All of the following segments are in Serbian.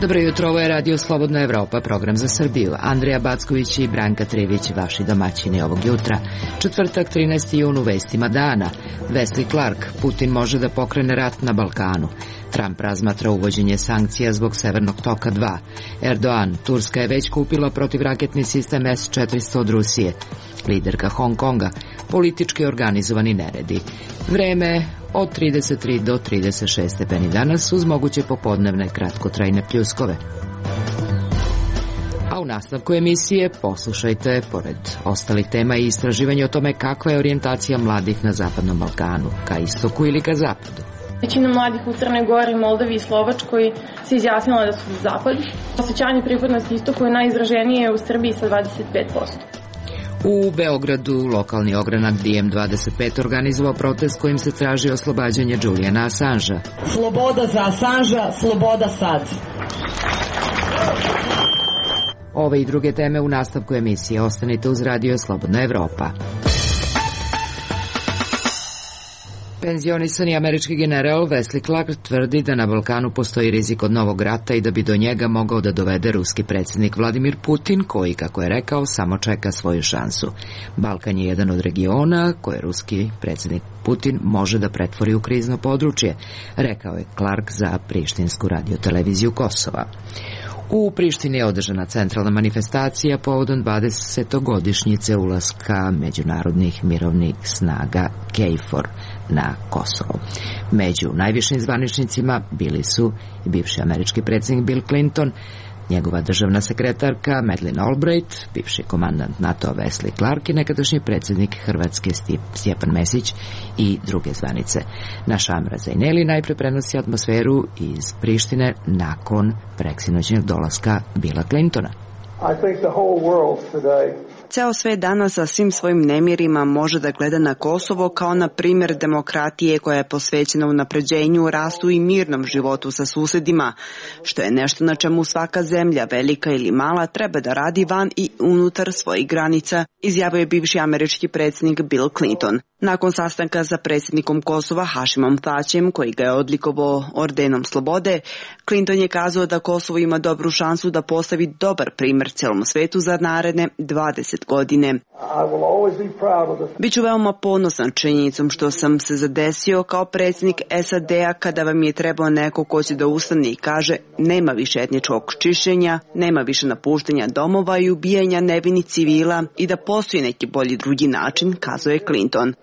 Dobro jutro, ovo je Radio Slobodna Evropa, program za Srbiju. Andrija Backović i Branka Trivić, vaši domaćini ovog jutra. Četvrtak, 13. jun, u vestima dana. Wesley Clark, Putin može da pokrene rat na Balkanu. Trump razmatra uvođenje sankcija zbog Severnog toka 2. Erdogan, Turska je već kupila protivraketni sistem S-400 od Rusije. Liderka Hong Konga, politički organizovani neredi. Vreme od 33 do 36 stepeni danas uz moguće popodnevne kratkotrajne pljuskove. A u nastavku emisije poslušajte, pored ostalih tema i istraživanja o tome kakva je orijentacija mladih na Zapadnom Balkanu, ka istoku ili ka zapadu. Većina mladih u Crnoj Gori, Moldavi i Slovačkoj se izjasnila da su za zapad. Osjećanje pripadnosti istoku je najizraženije u Srbiji sa 25%. U Beogradu lokalni ogranak DM25 organizovao protest kojim se traži oslobađanje Juliana Assangea. Sloboda za Assangea, sloboda sad. Ove i druge teme u nastavku emisije. Ostanite uz Radio Slobodna Evropa. Penzionisani američki general Wesley Clark tvrdi da na Balkanu postoji rizik od novog rata i da bi do njega mogao da dovede ruski predsjednik Vladimir Putin, koji, kako je rekao, samo čeka svoju šansu. Balkan je jedan od regiona koje ruski predsjednik Putin može da pretvori u krizno područje, rekao je Clark za prištinsku radioteleviziju Kosova. U Prištini je održana centralna manifestacija povodom 20-godišnjice ulaska međunarodnih mirovnih snaga KFOR na Kosovo. Među najvišim zvaničnicima bili su i bivši američki predsjednik Bill Clinton, njegova državna sekretarka Madeleine Albright, bivši komandant NATO Wesley Clark i nekadašnji predsjednik Hrvatske Stjepan Mesić i druge zvanice. Naša Amra Zajneli najpre prenosi atmosferu iz Prištine nakon preksinoćnog dolaska Billa Clintona. Ceo svet danas sa svim svojim nemirima može da gleda na Kosovo kao na primjer demokratije koja je posvećena unapređenju, rastu i mirnom životu sa susedima, što je nešto na čemu svaka zemlja, velika ili mala, treba da radi van i unutar svojih granica, izjavio je bivši američki predsjednik Bill Clinton. Nakon sastanka sa predsjednikom Kosova Hašimom Tačijem, koji ga je odlikovao ordenom slobode, Clinton je kazao da Kosovo ima dobru šansu da postavi dobar primjer celom svetu za naredne 20 godine. Biću veoma ponosan činjenicom što sam se zadesio kao predsjednik SAD-a kada vam je trebao neko ko će da ustane i kaže nema više etničkog čišćenja, nema više napuštanja domova i ubijanja nevinih civila i da postoji neki bolji drugi način, kazao je Clinton.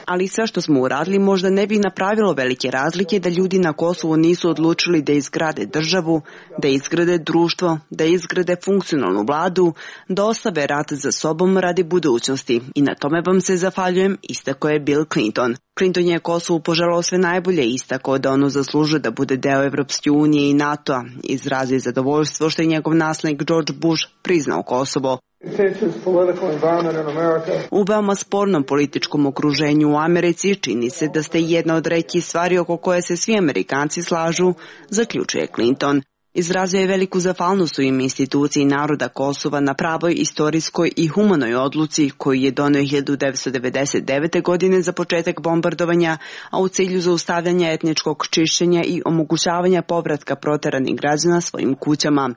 Ali sve što smo uradili možda ne bi napravilo velike razlike da ljudi na Kosovu nisu odlučili da izgrade državu, da izgrade društvo, da izgrade funkcionalnu vladu, da ostave rat za sobom radi budućnosti. I na tome vam se zahvaljujem, istakao je Bill Clinton. Clinton je Kosovu poželao sve najbolje i istakao da ono zaslužuje da bude deo Evropske unije i NATO-a. Izrazio zadovoljstvo što je njegov naslednik George Bush priznao Kosovo. U veoma spornom političkom okruženju u Americi čini se da ste jedna od retkih stvari oko koje se svi Amerikanci slažu, zaključuje Clinton. Izrazio je veliku zahvalnost u ime instituciji naroda Kosova na pravoj, istorijskoj i humanoj odluci koju je doneo 1999. godine za početak bombardovanja, a u cilju zaustavljanja etničkog čišćenja i omogućavanja povratka proteranih građana svojim kućama.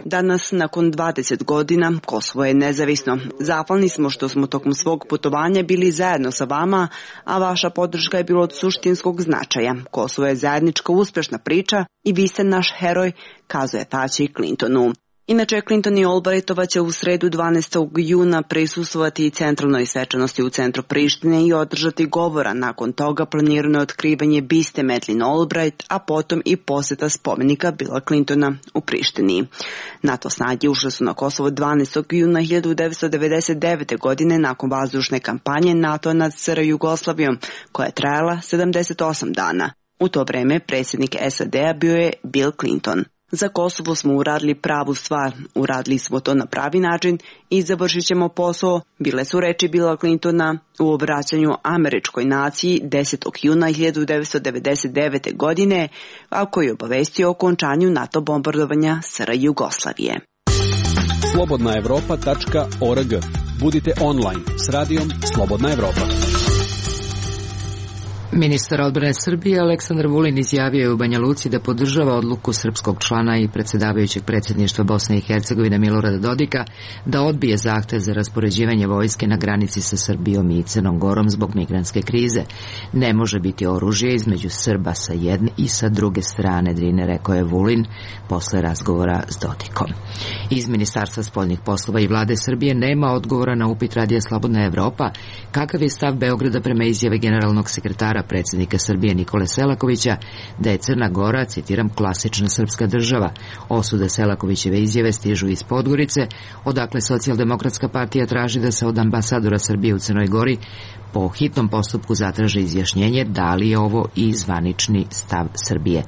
Danas, nakon 20 godina, Kosovo je nezavisno. Zahvalni smo što smo tokom svog putovanja bili zajedno sa vama, a vaša podrška je bila od suštinskog značaja. Kosovo je zajednička uspešna priča i vi ste naš heroj, kazuje Tači Clintonu. Inače, Clinton i Albrightova će u sredu 12. juna prisustvovati centralnoj svečanosti u centru Prištine i održati govora. Nakon toga planirano je otkrivanje biste Madeleine Albright, a potom i posjeta spomenika Billa Clintona u Prištini. NATO snage ušle su na Kosovo 12. juna 1999. godine nakon vazdušne kampanje NATO nad SR Jugoslavijom, koja je trajala 78 dana. U to vreme predsjednik SAD-a bio je Bill Clinton. Za Kosovo smo uradili pravu stvar, uradili smo to na pravi način i završit ćemo posao, bile su reči Billa Clintona u obraćanju američkoj naciji 10. juna 1999. godine, a koji je obavestio o okončanju NATO bombardovanja SR Jugoslavije. slobodnaevropa.org. Budite online s radijom Slobodna Evropa. Ministar odbrane Srbije Aleksandar Vulin izjavio je u Banja Luci da podržava odluku srpskog člana i predsjedavajućeg predsjedništva Bosne i Hercegovine Milorada Dodika da odbije zahtev za raspoređivanje vojske na granici sa Srbijom i Crnom Gorom zbog migrantske krize. Ne može biti oružje između Srba sa jedne i sa druge strane Drine, rekao je Vulin posle razgovora s Dodikom. Iz Ministarstva spoljnih poslova i vlade Srbije nema odgovora na upit Radija Slobodna Evropa kakav je stav Beograda prema izjave generalnog sekretara predsjednika Srbije Nikole Selakovića da je Crna Gora, citiram, klasična srpska država. Osude Selakovićeve izjave stižu iz Podgorice, odakle Socijaldemokratska partija traži da se od ambasadora Srbije u Crnoj Gori po hitnom postupku zatraže izjašnjenje da li je ovo i zvanični stav Srbije.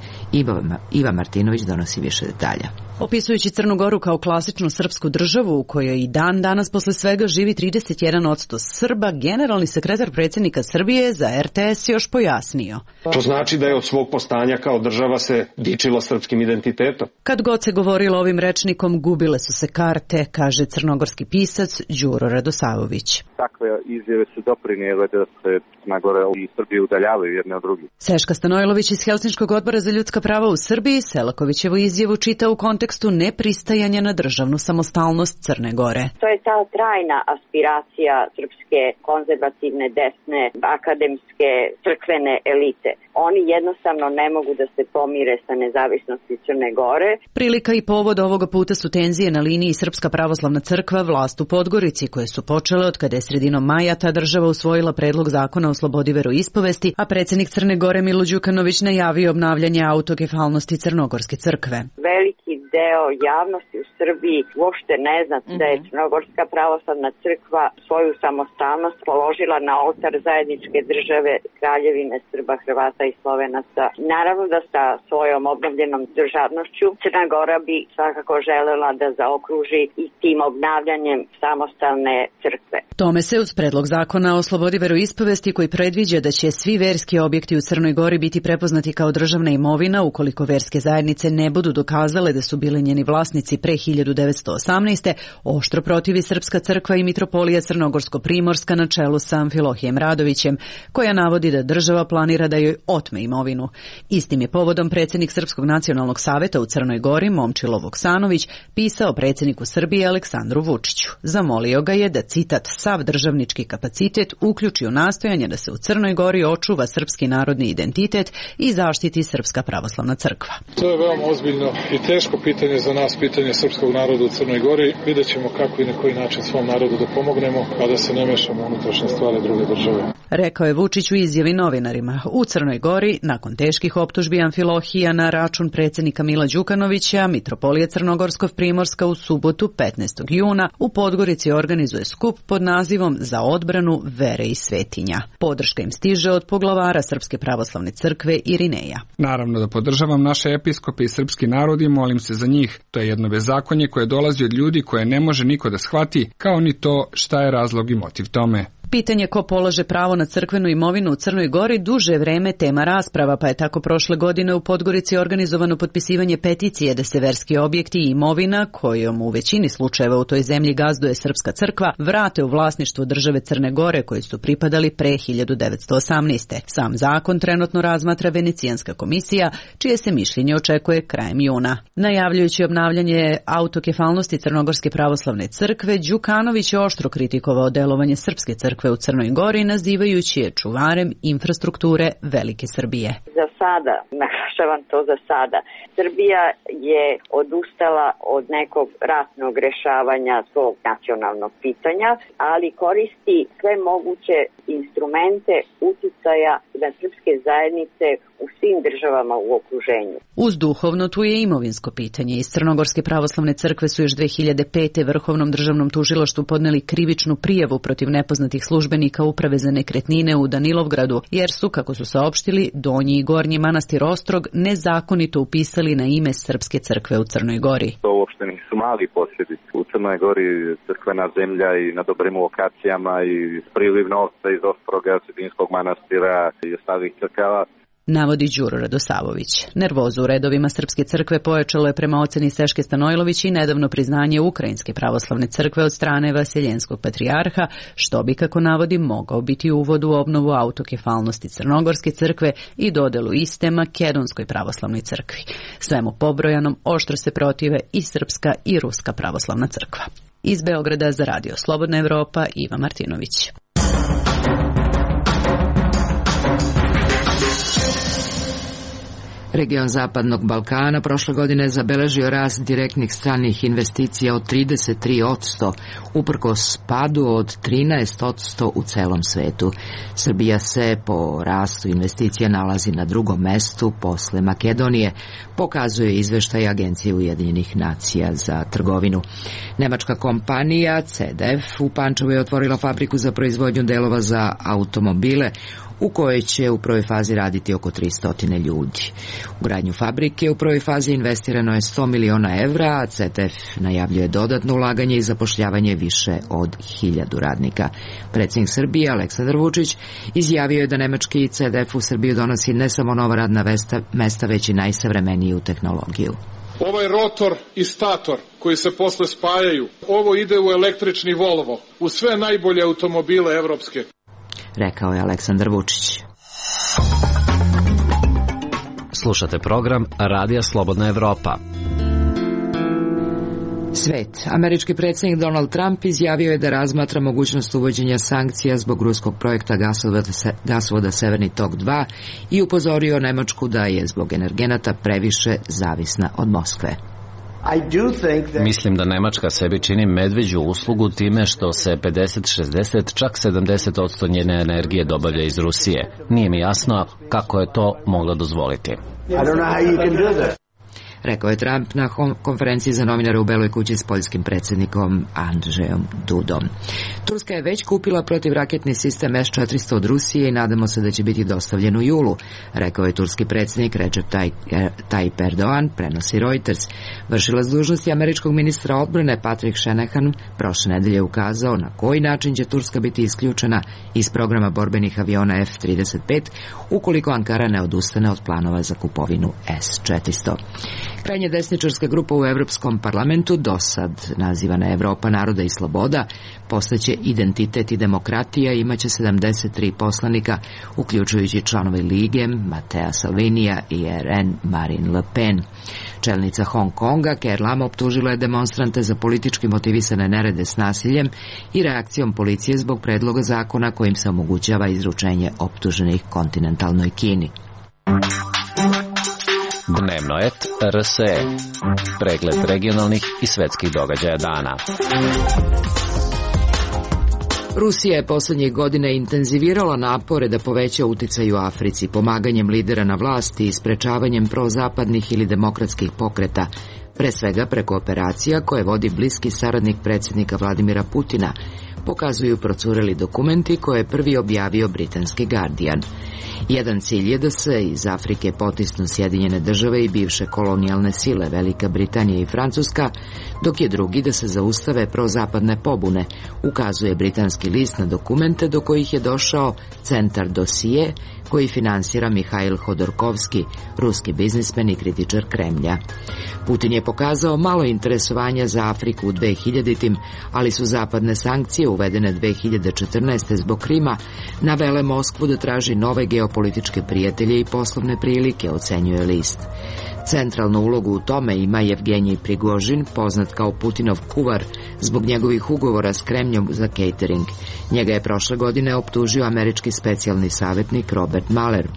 Iva Martinović donosi više detalja. Opisujući Crnu Goru kao klasičnu srpsku državu u kojoj i dan danas posle svega živi 31% Srba, generalni sekretar predsjednika Srbije za RTS još pojasnio. To znači da je od svog postanja kao država se dičila srpskim identitetom. Kad god se govorilo ovim rečnikom, gubile su se karte, kaže crnogorski pisac Đuro Radosavović. Takve izjave su doprinijele da se Crna Gora i Srbije udaljavaju jedne od drugih. Seška Stanojlović iz Helsinškog odbora za ljudska prava u Srbiji Selakovićevu izjavu čita u kontekstu nepristajanja na državnu samostalnost Crne Gore. To je ta trajna aspiracija srpske konzervativne, desne, akademske, crkvene elite. Oni jednostavno ne mogu da se pomire sa nezavisnosti Crne Gore. Prilika i povod ovoga puta su tenzije na liniji Srpska pravoslavna crkva vlast u Podgorici, koje su počele od kada je sredinom maja ta država usvojila predlog zakona o slobodi veroispovesti, a predsjednik Crne Gore Milo Đukanović najavio obnavljanje autokefalnosti Crnogorske crkve. Veliki deo javnosti u Srbiji uopšte ne zna da je Crnogorska pravoslavna crkva svoju samostalnost položila na oltar zajedničke države Kraljevine Srba, Hrvata i Slovenaca. Naravno da sa svojom obnovljenom državnošću Crna Gora bi svakako želela da zaokruži i tim obnavljanjem samostalne crkve. Tome se uz predlog zakona o slobodi veroispovesti koji predviđa da će svi verski objekti u Crnoj Gori biti prepoznati kao državna imovina ukoliko verske zajednice ne budu dokazale da su bili njeni vlasnici pre 1918. oštro protivi Srpska crkva i mitropolija Crnogorsko-Primorska na čelu sa Amfilohijem Radovićem, koja navodi da država planira da joj otme imovinu. Istim je povodom predsjednik Srpskog nacionalnog saveta u Crnoj Gori Momčilo Vuksanović pisao predsjedniku Srbije Aleksandru Vučiću. Zamolio ga je da, citat, sav državnički kapacitet uključi u nastojanje da se u Crnoj Gori očuva srpski narodni identitet i zaštiti Srpska pravoslavna crkva. To je veoma ozbiljno i teško pitanje za nas, pitanje srpskog naroda u Crnoj Gori. Vidjet ćemo kako i na koji način svom narodu da pomognemo, a da se ne mešamo u unutrašnje stvari druge države. Rekao je Vučić u izjavi novinarima. U Crnoj Gori, nakon teških optužbi Amfilohija na račun predsjednika Mila Đukanovića, mitropolija Crnogorsko-Primorska u subotu 15. juna u Podgorici organizuje skup pod nazivom Za odbranu vere i svetinja. Podrška im stiže od poglavara Srpske pravoslavne crkve Irineja. Naravno da podržavam naše episkope i srpski narod i molim se za njih. To je jedno bezakonje koje dolazi od ljudi koje ne može niko da shvati, kao ni to šta je razlog i motiv tome. Pitanje ko polaže pravo na crkvenu imovinu u Crnoj Gori duže vreme tema rasprava, pa je tako prošle godine u Podgorici organizovano potpisivanje peticije da se verski objekti i imovina, kojom u većini slučajeva u toj zemlji gazduje Srpska crkva, vrate u vlasništvo države Crne Gore koji su pripadali pre 1918. Sam zakon trenutno razmatra Venecijanska komisija, čije se mišljenje očekuje krajem juna. Najavljujući obnavljanje autokefalnosti Crnogorske pravoslavne crkve, Đukanović je oštro kritikovao delovanje Srpske crkve u Crnoj Gori, nazivajući je čuvarem infrastrukture Velike Srbije. Za sada, naglašavam to za sada, Srbija je odustala od nekog ratnog rešavanja svog nacionalnog pitanja, ali koristi sve moguće instrumente uticaja na srpske zajednice u svim državama u okruženju. Uz duhovno tu je imovinsko pitanje. Iz Crnogorske pravoslavne crkve su još 2005. Vrhovnom državnom tužilaštvu podneli krivičnu prijavu protiv nepoznatih službenika Uprave za nekretnine u Danilovgradu, jer su, kako su saopštili, Donji i Gornji manastir Ostrog nezakonito upisali na ime Srpske crkve u Crnoj Gori. To uopšte nisu mali posjedi. U Crnoj Gori crkvena zemlja i na dobrim lokacijama i priliv novca iz Ostroga, Sredinskog manastira i ostalih crkava. Navodi Đuro Radosavović. Nervozu u redovima Srpske crkve pojačalo je prema oceni Steške Stanojlović i nedavno priznanje Ukrajinske pravoslavne crkve od strane Vasiljenskog patrijarha, što bi, kako navodi, mogao biti uvod u obnovu autokefalnosti Crnogorske crkve i dodelu iste Makedonskoj pravoslavnoj crkvi. Svemu pobrojanom oštro se protive i Srpska i Ruska pravoslavna crkva. Iz Beograda za Radio Slobodna Evropa, Iva Martinović. Region Zapadnog Balkana prošle godine zabeležio rast direktnih stranih investicija od 33%, uprkos padu od 13% u celom svetu. Srbija se po rastu investicija nalazi na drugom mestu posle Makedonije, pokazuje izveštaj Agencije Ujedinjenih nacija za trgovinu. Nemačka kompanija CDF u Pančevu je otvorila fabriku za proizvodnju delova za automobile, u kojoj će u prvoj fazi raditi oko 300 ljudi. U gradnju fabrike u prvoj fazi investirano je 100 miliona evra, a CTF najavljuje dodatno ulaganje i zapošljavanje više od 1000 radnika. Predsjednik Srbije Aleksandar Vučić izjavio je da nemački CDF u Srbiju donosi ne samo nova radna mesta, već i najsavremeniju tehnologiju. Ovaj rotor i stator koji se posle spajaju, ovo ide u električni Volvo, u sve najbolje automobile evropske, rekao je Aleksandar Vučić. Slušate program Radija Slobodna Evropa. Svet. Američki predsjednik Donald Trump izjavio je da razmatra mogućnost uvođenja sankcija zbog ruskog projekta gasovoda Severni tok 2 i upozorio Nemačku da je zbog energenata previše zavisna od Moskve. Mislim da Nemačka sebi čini medveđu uslugu time što se 50-60, čak 70% njene energije dobavlja iz Rusije. Nije mi jasno kako je to mogla dozvoliti. Rekao je Trump na konferenciji za novinare u Beloj kući s poljskim predsjednikom Andrzejom Dudom. Turska je već kupila protivraketni sistem S-400 od Rusije i nadamo se da će biti dostavljen u julu, rekao je turski predsjednik Recep Tayyip Erdogan, prenosi Reuters. Vršilac dužnosti američkog ministra odbrane Patrick Shanahan prošle nedelje ukazao na koji način će Turska biti isključena iz programa borbenih aviona F-35 ukoliko Ankara ne odustane od planova za kupovinu S-400. Krajnje desničarska grupa u Evropskom parlamentu, dosad nazivana Evropa naroda i sloboda, postaće Identitet i demokratija i imaće 73 poslanika, uključujući članove Lige, Matea Salvinija i RN Marine Le Pen. Čelnica Hong Konga, Ker Lam, optužila je demonstrante za politički motivisane nerede s nasiljem i reakcijom policije zbog predloga zakona kojim se omogućava izručenje optuženih kontinentalnoj Kini. Dnevno et RSE. Pregled regionalnih i svetskih događaja dana. Rusija je posljednjih godina intenzivirala napore da poveća uticaj u Africi, pomaganjem lidera na vlasti i sprečavanjem prozapadnih ili demokratskih pokreta, pre svega preko operacija koje vodi bliski saradnik predsjednika Vladimira Putina, pokazuju procureli dokumenti koje je prvi objavio britanski Guardian. Jedan cilj je da se iz Afrike potisnu Sjedinjene države i bivše kolonijalne sile Velika Britanija i Francuska, dok je drugi da se zaustave prozapadne pobune, ukazuje britanski list na dokumente do kojih je došao Centar Dosije, koji finansira Mihail Hodorkovski, ruski biznismen i kritičar Kremlja. Putin je pokazao malo interesovanja za Afriku u 2000-tim, ali su zapadne sankcije uvedene 2014. zbog Krima navele Moskvu da traži nove geopolitičke prijatelje i poslovne prilike, ocenjuje list. Centralnu ulogu u tome ima Jevgenij Prigožin, poznat kao Putinov kuvar, zbog njegovih ugovora s Kremljom za catering. Njega je prošle godine optužio američki specijalni savjetnik Robert Mueller.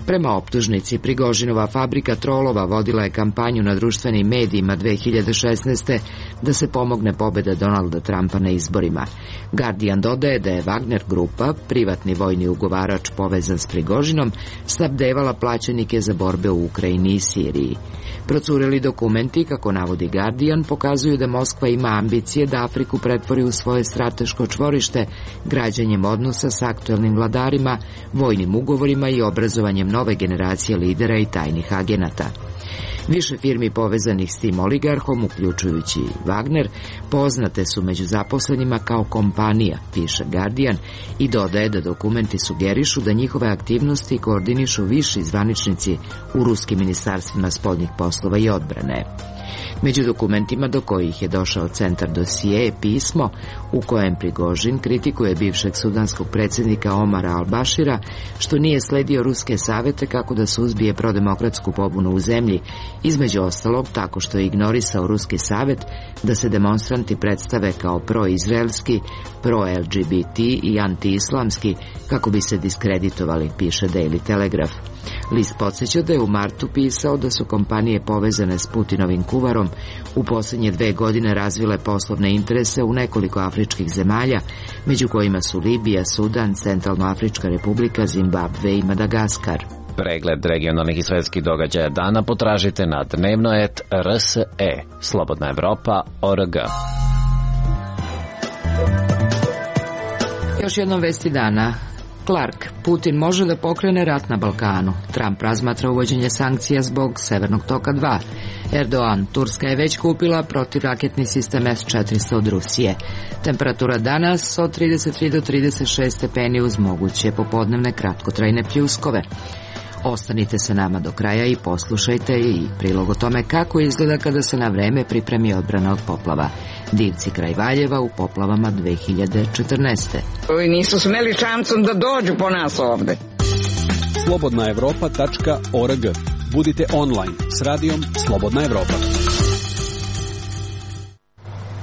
Prema optužnici, Prigožinova fabrika trolova vodila je kampanju na društvenim medijima 2016. da se pomogne pobjeda Donalda Trumpa na izborima. Guardian dodaje da je Wagner grupa, privatni vojni ugovarač povezan s Prigožinom, snabdevala plaćenike za borbe u Ukrajini i Siriji. Procureli dokumenti, kako navodi Guardian, pokazuju da Moskva ima ambicije da Afriku pretvori u svoje strateško čvorište građanjem odnosa s aktuelnim vladarima, vojnim ugovorima i obrazovanjem nove generacije lidera i tajnih agenata. Više firmi povezanih s tim oligarhom, uključujući Wagner, poznate su među zaposlenima kao kompanija, piše Guardian, i dodaje da dokumenti sugerišu da njihove aktivnosti koordinišu viši zvaničnici u ruskim ministarstvima spoljnih poslova i odbrane. Među dokumentima do kojih je došao centar dosije je pismo u kojem Prigožin kritikuje bivšeg sudanskog predsjednika Omara al-Bashira što nije sledio ruske savete kako da suzbije prodemokratsku pobunu u zemlji, između ostalog tako što je ignorisao ruski savet da se demonstranti predstave kao pro-izraelski, pro-LGBT i anti-islamski kako bi se diskreditovali, piše Daily Telegraph. List podsjeća da je u martu pisao da su kompanije povezane s Putinovim kuvarom u posljednje 2 godine razvile poslovne interese u nekoliko afričkih zemalja, među kojima su Libija, Sudan, Centralnoafrička republika, Zimbabve i Madagaskar. Pregled regionalnih i svetskih događaja dana potražite na dnevno.rs.e, Slobodna Evropa.org. Još jednom vesti dana. Clark, Putin može da pokrene rat na Balkanu. Trump razmatra uvođenje sankcija zbog Severnog toka 2. Erdogan, Turska je već kupila protivraketni sistem S-400 od Rusije. Temperatura danas od 33 do 36 stepeni uz moguće popodnevne kratkotrajne pljuskove. Ostanite sa nama do kraja i poslušajte i prilog o tome kako izgleda kada se na vreme pripremi odbrana od poplava. Divci kraj Valjeva u poplavama 2014. Ovi nisu smeli šancom da dođu po nas ovde. Slobodnaevropa.org. Budite online s radijom Slobodna Evropa.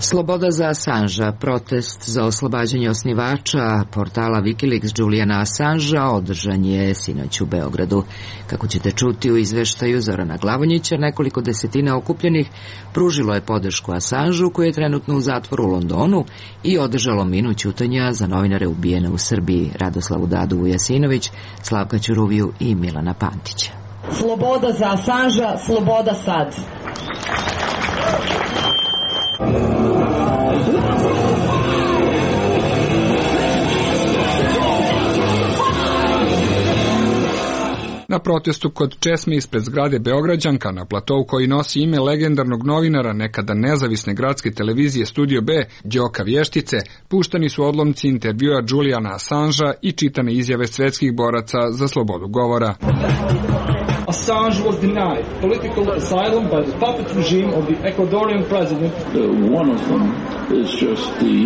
Sloboda za Assangea, protest za oslobađanje osnivača portala Wikileaks Juliana Assangea održan je sinoć u Beogradu. Kako ćete čuti u izveštaju Zorana Glavonjića, nekoliko desetina okupljenih pružilo je podršku Assangeu koji je trenutno u zatvoru u Londonu i održalo minut ćutanja za novinare ubijene u Srbiji, Radoslavu Dadu Vujasinović, Slavka Ćuruviju i Milana Pantića. Sloboda za Assangea, sloboda sad. Na protestu kod česme ispred zgrade Beograđanka na platovu koji nosi ime legendarnog novinara nekada nezavisne gradske televizije Studio B, Đoka Vještice, puštani su odlomci intervjua Juliana Assangea i čitane izjave svetskih boraca za slobodu govora. Assange was denied political asylum by the puppet regime of the Ecuadorian president. One of them is just the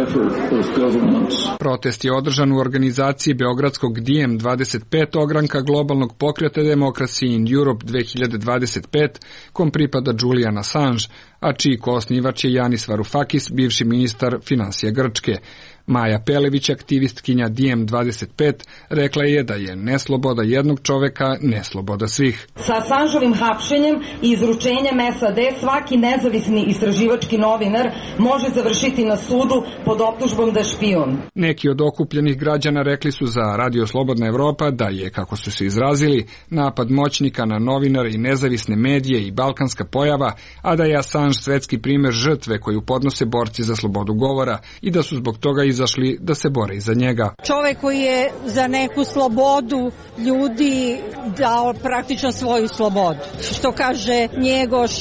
effort of governments. Protest je održan u organizaciji beogradskog Diem 25 ogranka globalnog pokreta Democracy in Europe 2025, kom pripada Julian Assange, a čiji koosnivač je Yanis Varoufakis, bivši ministar finansija Grčke. Maja Pelević, aktivistkinja Diem 25, rekla je da je nesloboda jednog čoveka nesloboda svih. Sa Assangeovim hapšenjem i izručenjem SAD svaki nezavisni istraživački novinar može završiti na sudu pod optužbom da je špijun. Neki od okupljenih građana rekli su za Radio Slobodna Evropa da je, kako su se izrazili, napad moćnika na novinare i nezavisne medije i balkanska pojava, a da je Assange svetski primer žrtve koju podnose borci za slobodu govora i da su zbog toga izašli da se bore iza njega. Čovek koji je za neku slobodu ljudi dao praktično svoju slobodu. Što kaže Njegoš,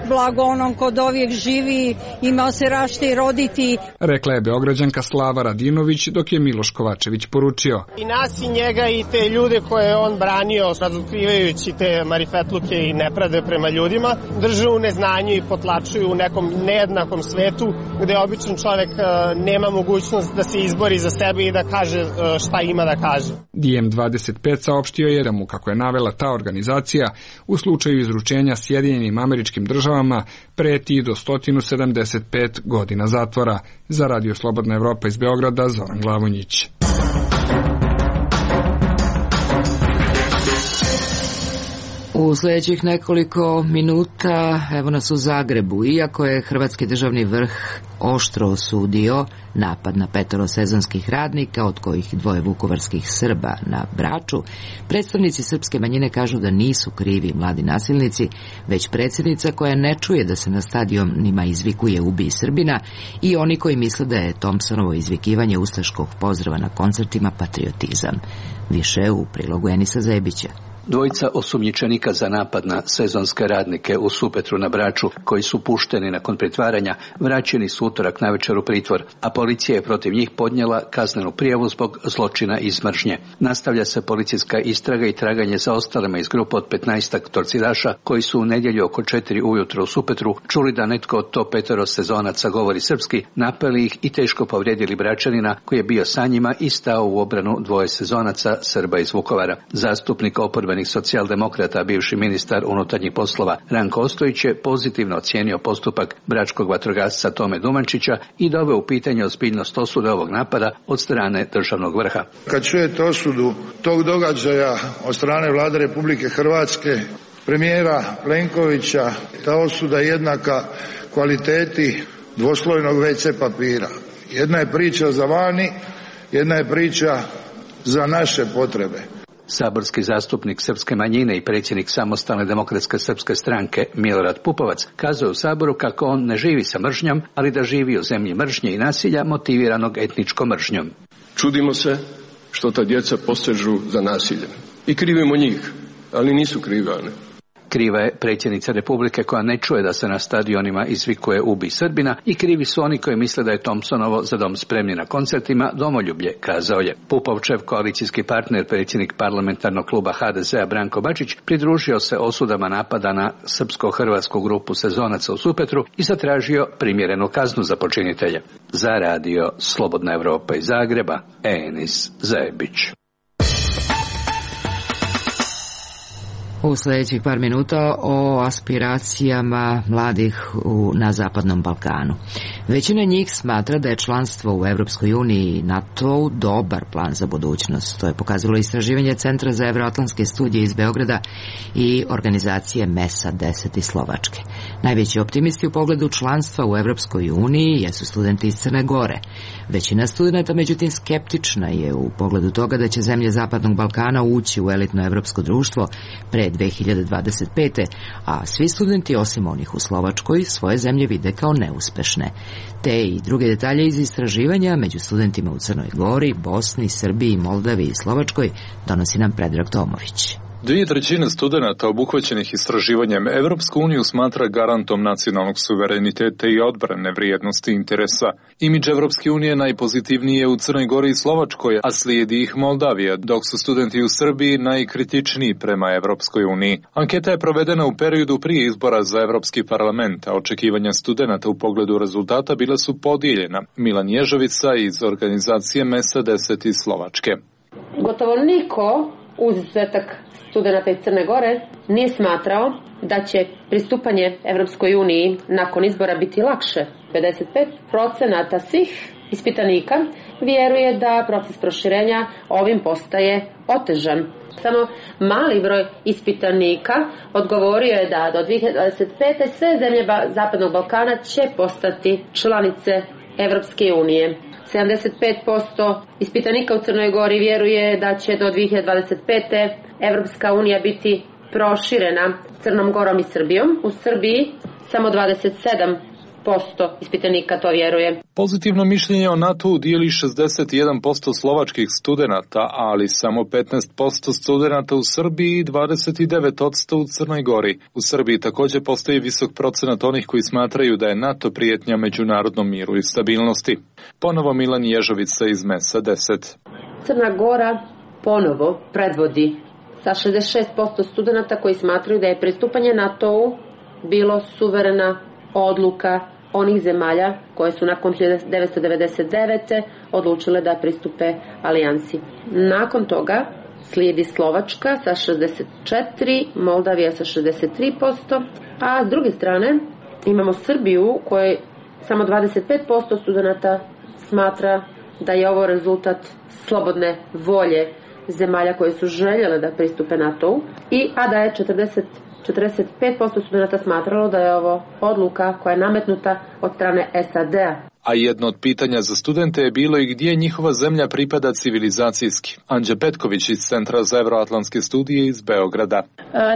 blago onom kod ovijek živi, imao se rašte i roditi. Rekla je Beograđanka Slava Radinović, dok je Miloš Kovačević poručio. I nas i njega i te ljude koje je on branio, razotkrivajući te marifetluke i nepravde prema ljudima, drže u neznanju i potlačuju u nekom nejednakom svetu gde običan čovek nema mogućnost da se izbori za sebe i da kaže šta ima da kaže. Diem 25 saopštio je da mu, kako je navela ta organizacija, u slučaju izručenja Sjedinjenim Američkim Državama preti do 175 godina zatvora. Za Radio Slobodna Evropa iz Beograda, Zoran Glavonjić. U sljedećih nekoliko minuta evo nas u Zagrebu. Iako je hrvatski državni vrh oštro osudio napad na 5 sezonskih radnika, od kojih 2 vukovarskih Srba na Braču, predstavnici srpske manjine kažu da nisu krivi mladi nasilnici, već predsjednica koja ne čuje da se na stadionima izvikuje "Ubij Srbina" i oni koji misle da je Thompsonovo izvikivanje ustaškog pozdrava na koncertima patriotizam. Više u prilogu Enisa Zebića. Dvojica osumnjičenika za napad na sezonske radnike u Supetru na Braču, koji su pušteni nakon pritvaranja, vraćeni su utorak navečer u pritvor, a policija je protiv njih podnijela kaznenu prijavu zbog zločina iz mržnje. Nastavlja se policijska istraga i traganje za ostalima iz grupe od 15 torcidaša koji su u nedjelju oko 4 ujutro u Supetru čuli da netko od to 5 sezonaca govori srpski, napali ih i teško povrijedili Bračanina koji je bio sa njima i stao u obranu 2 sezonaca Srba iz Vukovara. Zastupnik oporbenih socijaldemokrata, bivši ministar unutarnjih poslova Ranko Ostojić je pozitivno ocijenio postupak bračkog vatrogasca Tome Dumančića i doveo u pitanje ozbiljnost osude ovog napada od strane državnog vrha. Kad čujete osudu tog događaja od strane Vlade Republike Hrvatske, premijera Plenkovića, ta osuda je jednaka kvaliteti dvoslojnog WC papira. Jedna je priča za vani, jedna je priča za naše potrebe. Saborski zastupnik srpske manjine i predsjednik Samostalne demokratske srpske stranke Milorad Pupovac kazao u Saboru kako on ne živi sa mržnjom, ali da živi u zemlji mržnje i nasilja motiviranog etničkom mržnjom. Čudimo se što ta djeca posežu za nasiljem. I krivimo njih, ali nisu krivi oni. Kriva je predsjednica Republike koja ne čuje da se na stadionima izvikuje "Ubij Srbina" i krivi su oni koji misle da je Thompsonovo "Za dom spremni" na koncertima domoljublje, kazao je. Pupovčev koalicijski partner, predsjednik parlamentarnog kluba HDZ-a Branko Bačić, pridružio se osudama napada na srpsko-hrvatsku grupu sezonaca u Supetru i zatražio primjerenu kaznu za počinitelje. Za radio Slobodna Evropa iz Zagreba, Enis Zebić. U sljedećih par minuta o aspiracijama mladih na Zapadnom Balkanu. Većina njih smatra da je članstvo u Evropskoj uniji i NATO dobar plan za budućnost. To je pokazalo istraživanje Centra za evroatlantske studije iz Beograda i organizacije MESA 10 iz Slovačke. Najveći optimisti u pogledu članstva u Evropskoj uniji jesu studenti iz Crne Gore. Većina studenta, međutim, skeptična je u pogledu toga da će zemlje Zapadnog Balkana ući u elitno evropsko društvo pre 2025. a svi studenti, osim onih u Slovačkoj, svoje zemlje vide kao neuspešne. Te i druge detalje iz istraživanja među studentima u Crnoj Gori, Bosni, Srbiji, Moldavi i Slovačkoj donosi nam Predrag Tomović. 2/3 studenata obuhvaćenih istraživanjem Evropsku uniju smatra garantom nacionalnog suvereniteta i odbrane vrijednosti interesa. Imidž Evropske unije najpozitivniji je u Crnoj Gori i Slovačkoj, a slijedi ih Moldavija, dok su studenti u Srbiji najkritičniji prema Evropskoj uniji. Anketa je provedena u periodu prije izbora za Evropski parlament, a očekivanja studenata u pogledu rezultata bila su podijeljena. Milan Ježovica iz organizacije MESA 10 iz Slovačke. Gotovo niko, uz izuzetak studenata iz Crne Gore, nije smatrao da će pristupanje Evropskoj uniji nakon izbora biti lakše. 55% svih ispitanika vjeruje da proces proširenja ovim postaje otežan. Samo mali broj ispitanika odgovorio je da do 2025. sve zemlje Zapadnog Balkana će postati članice Evropske unije. 75% ispitanika u Crnoj Gori vjeruje da će do 2025. Evropska unija biti proširena Crnom Gorom i Srbijom. U Srbiji samo 27% ispitanika to vjeruje. Pozitivno mišljenje o NATO-u dijeli 61% slovačkih studenata, ali samo 15% studenata u Srbiji i 29% u Crnoj Gori. U Srbiji također postoji visok procenat onih koji smatraju da je NATO prijetnja međunarodnom miru i stabilnosti. Ponovo Milan Ježovica iz MESA 10. Crna Gora ponovo predvodi sa 66% studenata koji smatraju da je pristupanje NATO-u bilo suverena odluka onih zemalja koje su nakon 1999. odlučile da pristupe alijansi. Nakon toga slijedi Slovačka sa 64%, Moldavija sa 63%, a s druge strane imamo Srbiju kojoj samo 25% studenata smatra da je ovo rezultat slobodne volje zemalja koje su željele da pristupe NATO-u, a da je 45% studenata smatralo da je ovo odluka koja je nametnuta od strane SAD-a. A jedno od pitanja za studente je bilo i gdje njihova zemlja pripada civilizacijski. Anđa Petković iz Centra za evroatlantske studije iz Beograda.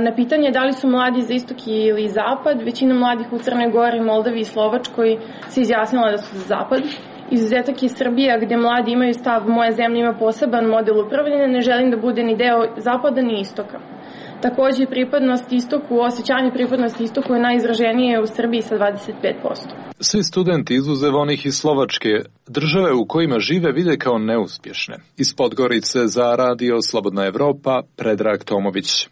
Na pitanje da li su mladi za istok ili zapad, većina mladih u Crnoj Gori, Moldavi i Slovačkoj se izjasnila da su za zapad. Izuzetak je Srbija, gdje mladi imaju stav moja zemlja ima poseban model upravljanja, ne želim da bude ni deo zapada ni istoka. Takođe, pripadnost istoku, osjećanje pripadnosti istoku je najizraženije u Srbiji sa 25%. Svi studenti izuzev onih iz Slovačke, države u kojima žive vide kao neuspješne. Iz Podgorice za Radio Slobodna Evropa, Predrag Tomović.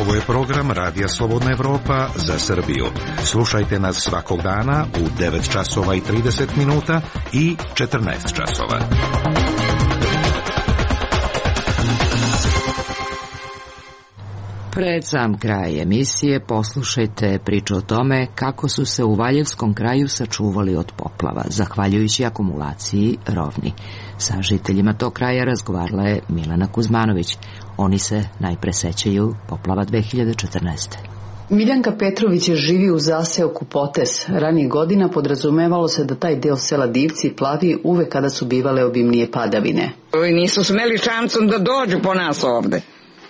Ovo je program Radija Slobodna Evropa za Srbiju. Slušajte nas svakog dana u 9 časova i 30 minuta i 14 časova. Pred sam kraj emisije poslušajte priču o tome kako su se u Valjevskom kraju sačuvali od poplava, zahvaljujući akumulaciji rovni. Sa žiteljima tog kraja razgovarala je Milena Kuzmanović. Oni se najpre sećaju poplava 2014. Miljanka Petrović živi u zaseoku Potes. Ranijih godina podrazumevalo se da taj deo sela Divci plavi uvek kada su bivale obimnije padavine. Nisu smeli šancom da dođu po nas ovde.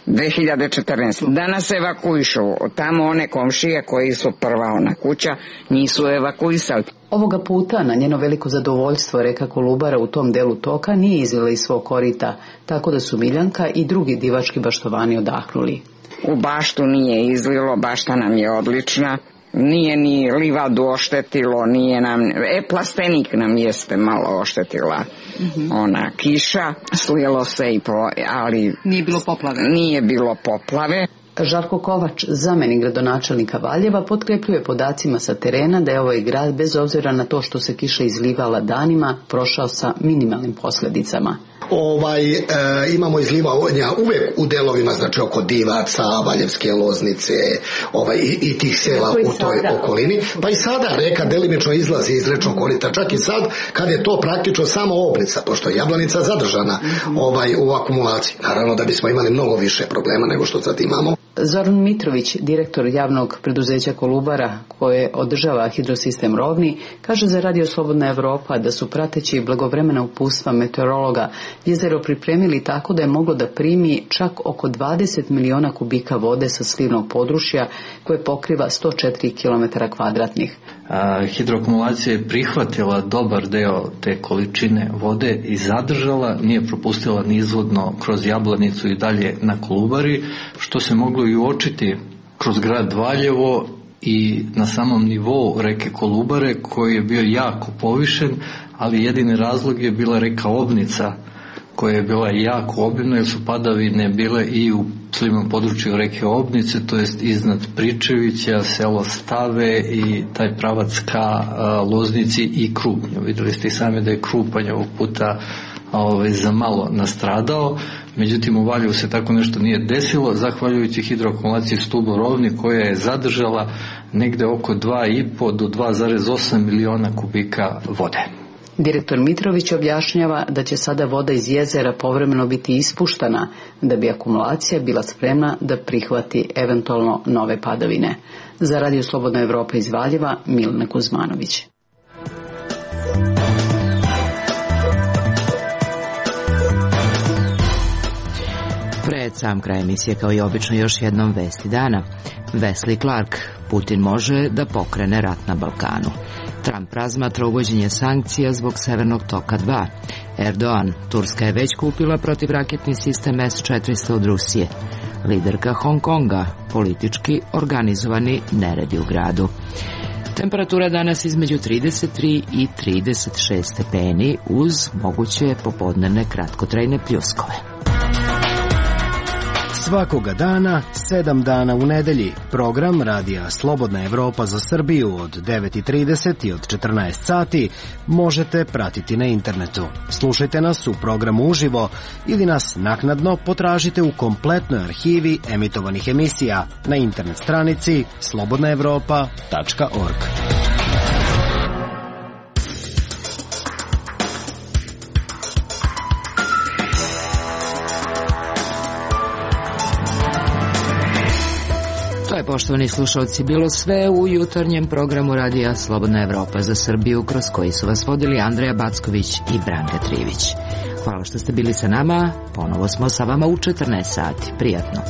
2014. Da nas evakuišu. Tamo one komšije koji su prva ona kuća nisu evakuisali. Ovoga puta na njeno veliko zadovoljstvo reka Kolubara u tom delu toka nije izvela iz svog korita, tako da su Miljanka i drugi divački baštovani odahnuli. U baštu nije izlilo, bašta nam je odlična. Nije ni livadu oštetilo, nije nam, plastenik nam jeste malo oštetila ona kiša, slilo se i ali nije bilo poplave. Žarko Kovač, zamenik gradonačelnika Valjeva, potkrepljuje podacima sa terena da je ovaj grad, bez obzira na to što se kiša izlivala danima, prošao sa minimalnim posledicama. Imamo izlivanja uvek u delovima, znači oko Divaca, Valjevske Loznice, i tih sela u toj okolini. Pa i sada reka delimično izlazi iz rečnog korita, čak i sad kad je to praktično samo Obnica, pošto je Jablanica zadržana u akumulaciji. Naravno da bismo imali mnogo više problema nego što sad imamo. Zoran Mitrović, direktor javnog preduzeća Kolubara koje održava hidrosistem Rovni, kaže za Radio Slobodna Evropa da su prateći blagovremena uputstva meteorologa jezero pripremili tako da je moglo da primi čak oko 20 miliona kubika vode sa slivnog područja koje pokriva 104 km2. Hidroakumulacija je prihvatila dobar deo te količine vode i zadržala, nije propustila nizvodno kroz Jablanicu i dalje na Kolubari, što se moglo i uočiti kroz grad Valjevo i na samom nivou reke Kolubare koji je bio jako povišen, ali jedini razlog je bila reka Obnica koja je bila jako obimna jer su padavine bile i u slivnom području reke Obnice, to jest iznad Pričevića, selo Stave i taj pravac ka Loznici i Krupnju. Videli ste i sami da je Krupanj ovog puta za malo nastradao, međutim u Valjevu se tako nešto nije desilo, zahvaljujući hidroakumulaciji stubu Rovni koja je zadržala negde oko 2,5 do 2,8 miliona kubika vode. Direktor Mitrović objašnjava da će sada voda iz jezera povremeno biti ispuštana da bi akumulacija bila spremna da prihvati eventualno nove padavine. Za Radio Slobodna Evropa iz Valjeva, Milena Kuzmanović. Pred sam kraj emisije kao i obično još jednom vesti dana. Wesley Clark, Putin može da pokrene rat na Balkanu. Trump razmatra uvođenje sankcija zbog Severnog toka 2. Erdogan, Turska je već kupila protivraketni sistem S-400 od Rusije. Liderka Hong Konga, politički organizovani neredi u gradu. Temperatura danas između 33 i 36 stepeni uz moguće popodnevne kratkotrajne pljuskove. Svakoga dana, 7 dana u nedelji, program Radija Slobodna Evropa za Srbiju od 9:30 i od 14 sati možete pratiti na internetu. Slušajte nas u programu uživo ili nas naknadno potražite u kompletnoj arhivi emitovanih emisija na internet stranici slobodnaevropa.org. poštovani slušalci, bilo sve u jutarnjem programu Radija Slobodna Evropa za Srbiju, kroz koji su vas vodili Andreja Backović i Branka Trivić. Hvala što ste bili sa nama, ponovo smo sa vama u 14 sati. Prijatno.